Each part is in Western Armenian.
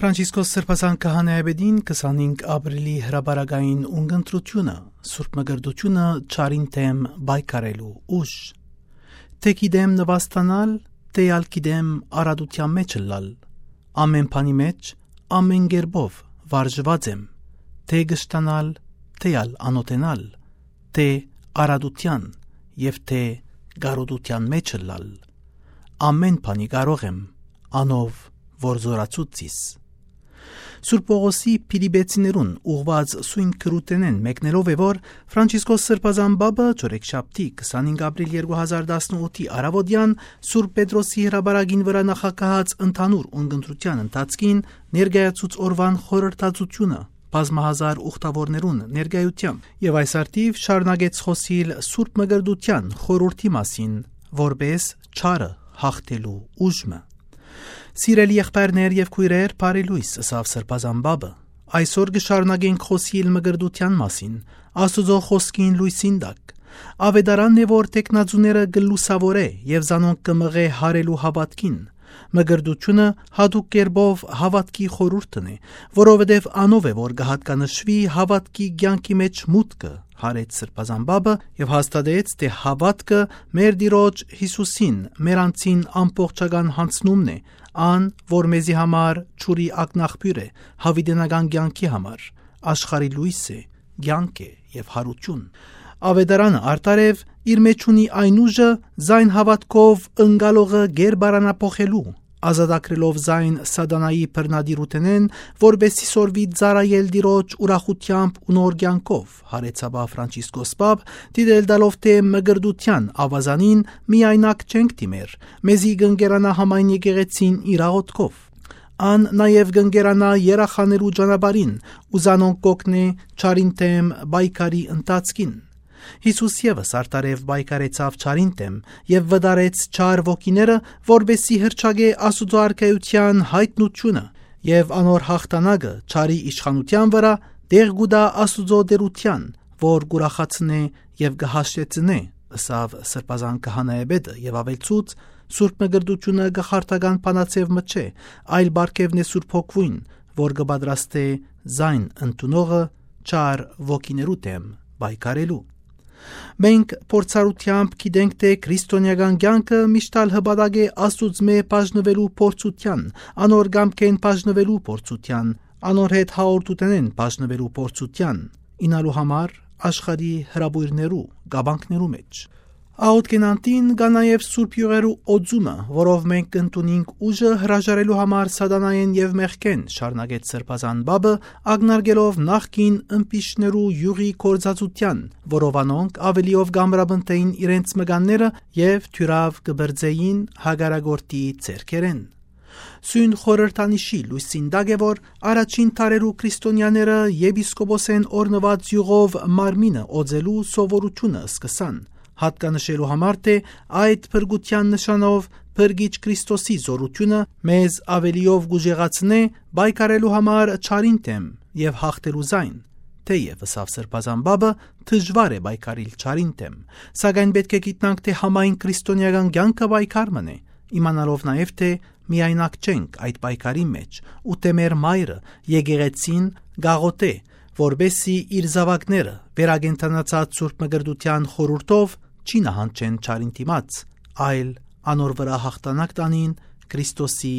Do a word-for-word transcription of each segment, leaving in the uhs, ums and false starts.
Ֆրանցիսկոս Սրբազան քահանայապետին քսանհինգ ապրիլի հրապարակային ունգընտրութիւնը, Սուրբ Մկրտութիւնը չարին դէմ պայքարելու ուժ։ Թէ գիտեմ նուաստանալ, թէ ալ գիտեմ արատութեան մէջ ըլլալ։ Ամէն բանի մէջ, ամէն կերպով վարժուած եմ, թէ կշտանալ, թէ ալ անօթենալ, թէ արատութեան եւ թէ կարոտութեան մէջ ըլլալ։ Ամէն բանի կարող եմ անով, որ զօրացուց զիս։ Սուրբ Պողոսի Փիլիպեցիներուն ուղղուած սոյն գրութենէն մեկնելով է, որ Ֆրանցիսկոս Սրբազան Պապը չորեքշաբթի, քսանհինգ ապրիլ երկու հազար տասնութի առաւօտեան Սուրբ Պետրոսի հրապարակին վրայ նախագահած ընդհանուր ունգընտրութեան ընթացքին ներկայացուց օրուան խորհրդածութիւնը բազմահազար ուխտաւորներուն ներկայութեամբ եւ այս առթիւ շարունակեց խօսիլ Սուրբ Մկրտութեան խորհուրդի մասին, որպէս չարը յաղթելու ուժ մը։ Սիրելի եղբայրներ եւ քոյրեր, բարի լոյս, ըսաւ Սրբազան Պապը, այսօր կը շարունակենք խօսիլ մկրտութեան մասին, Աստուծոյ խօսքին լոյսին տակ։ Աւետարանն է, որ տեխնաձուները կը լուսաւորէ եւ զանոնք կը մղէ յարելու հաւատքին։ Մկրտութիւնը յատուկ կերպով հաւատքի խորհուրդն է, որովհետեւ անով է, որ կը յատկանշուի հաւատքի կեանքի մէջ մուտքը, յարեց Սրբազան Պապը եւ հաստատեց, թէ հաւատքը մեր Տիրոջ Յիսուսին, մեր անձին ամբողջական յանձնումն է, ան, որ մեզի համար ջուրի ակնաղբիւր է, յաւիտենական կեանքի համար, աշխարհի լոյս է, կեանք է եւ յարութիւն։ Աւետարանը արդարեւ իր մէջ ունի այն ուժը, զայն հաւատքով ընկալողը կերպարանափոխելու, ազատագրելով զայն Սատանայի բռնատիրութենէն, որպէսզի սորվի ծառայել Տիրոջ ուրախութեամբ ու նոր կեանքով, յարեց ապա Ֆրանցիսկոս Պապ, դիտել տալով, թէ մկրտութեան աւազանին միայնակ չենք դիմեր, մեզի կ'ընկերանայ համայն եկեղեցին իր աղօթքով։ Ան նաեւ կ'ընկերանայ երախաներու ճանապարհին ու զանոնք կ'օգնէ չարին դէմ պայքարի ընթացքին։ Յիսուս եւս արդարեւ պայքարեցաւ չարին դէմ եւ վտարեց չար ոգիները, որպէսզի հռչակէ Աստուծոյ արքայութեան յայտնութիւնը եւ անոր յաղթանակը չարի իշխանութեան վրայ, տեղ կու տայ Աստուծոյ տէրութեան, որ կ'ուրախացնէ եւ կը հաշտեցնէ, ըսաւ Սրբազան քահանայապետը եւ աւելցուց. Սուրբ Մկրտութիւնը կախարդական բանաձեւ մը չէ, այլ պարգեւն է Սուրբ Հոգիին, որ կը պատրաստէ զայն ընդունողը չար ոգիներու դէմ պայքարելու։ Մենք փորձառութեամբ գիտենք, թէ քրիստոնեական կեանքը միշտ ալ հպատակ է Աստուծմէ բաժնուելու փորձութեան, անոր կամքէն բաժնուելու փորձութեան, անոր հետ հաղորդութենէն բաժնուելու փորձութեան, ինալու համար աշխարհի հրապոյրներու, կապանքներու մէջ։ Աղօթքին անդին կայ նաեւ սուրբ իւղերու օծումը, որով մենք կ'ընդունինք ուժը հրաժարելու համար Սատանայէն եւ մեղքէն, շարունակեց Սրբազան Պապը, ակնարկելով նախկին ըմպիշներու իւղի գործածութեան, որով անոնք աւելիով կ'ամրապնդէին իրենց մկանները եւ թիւրաւ կը բրծէին հակառակորդի ձեռքերէն։ Սոյն խորհրդանիշի լոյսին տակ է, որ առաջին դարերու քրիստոնեաները եպիսկոպոսէն օրհնուած իւղով մարմինը օծելու սովորութիւնը սկսան, յատկանշելու համար, թէ այդ փրկութեան նշանով Փրկիչ Քրիստոսի զօրութիւնը մեզ աւելիով կ'ուժեղացնէ պայքարելու համար չարին դէմ եւ յաղթելու զայն։ Թէեւ, ըսաւ Սրբազան Պապը, դժուար է պայքարիլ չարին դէմ, սակայն պէտք է գիտնանք, թէ համայն քրիստոնեական կեանքը պայքար մըն է, իմանալով նաեւ, թէ միայնակ չենք այդ պայքարին մէջ, ու թէ մեր մայրը, եկեղեցին, կ'աղօթէ, որպէսզի իր զաւակները վերակենդանացած Սուրբ Մկրտութեան խորհուրդով չի նահանջեն չարին դիմաց, այլ անոր վրայ յաղթանակ տանին Քրիստոսի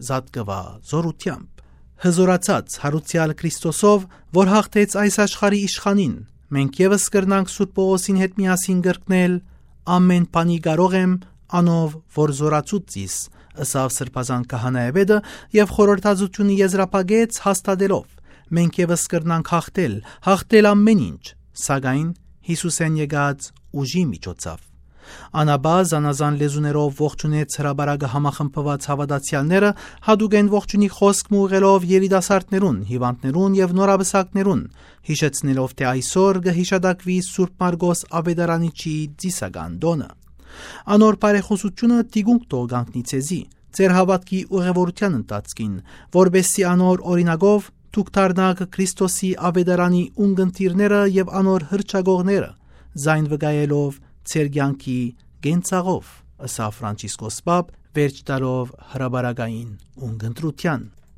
զատկուայ զօրութեամբ։ Հզօրացած յարուցեալ Քրիստոսով, որ յաղթեց այս աշխարհի իշխանին, մենք եւս կրնանք Սուրբ Պողոսին հետ միասին կրկնել. «Ամէն բանի կարող եմ անով, որ զօրացուց զիս», ըսաւ Սրբազան քահանայապետը եւ խորհրդածութիւնը եզրափակեց հաստատելով. «Մենք եւս կրնանք յաղթել, յաղթել ամէն ինչ, սակայն Յիսուսէն եկած ուժի միջոցով»։ Անապա զանազան լեզուներով ողջունեց հրապարակը համախմբուած հաւատացեալները, յատուկէն ողջունի խօսք մը ուղղելով երիտասարդներուն, հիւանդներուն եւ նորապսակներուն, յիշեցնելով, թէ այսօր կը յիշատակուի Սուրբ Մարկոս Աւետարանիչի ծիսական տօնը։ Անոր բարեխօսութիւնը թիկունք թող կանգնի ձեզի, ձեր հաւատքի ուղևորութեան ընթացքին, որպէսզի անոր օրինակով դուք դառնաք Քրիստոսի Աւետարանի ունկնդիրները եւ անոր հռչակողները, զայն վկայելով ձեր կեանքի կենցաղով, ըսաւ Ֆրանցիսկոս Պապ, վերջ տալով հրապարակային ունկնդրութեան։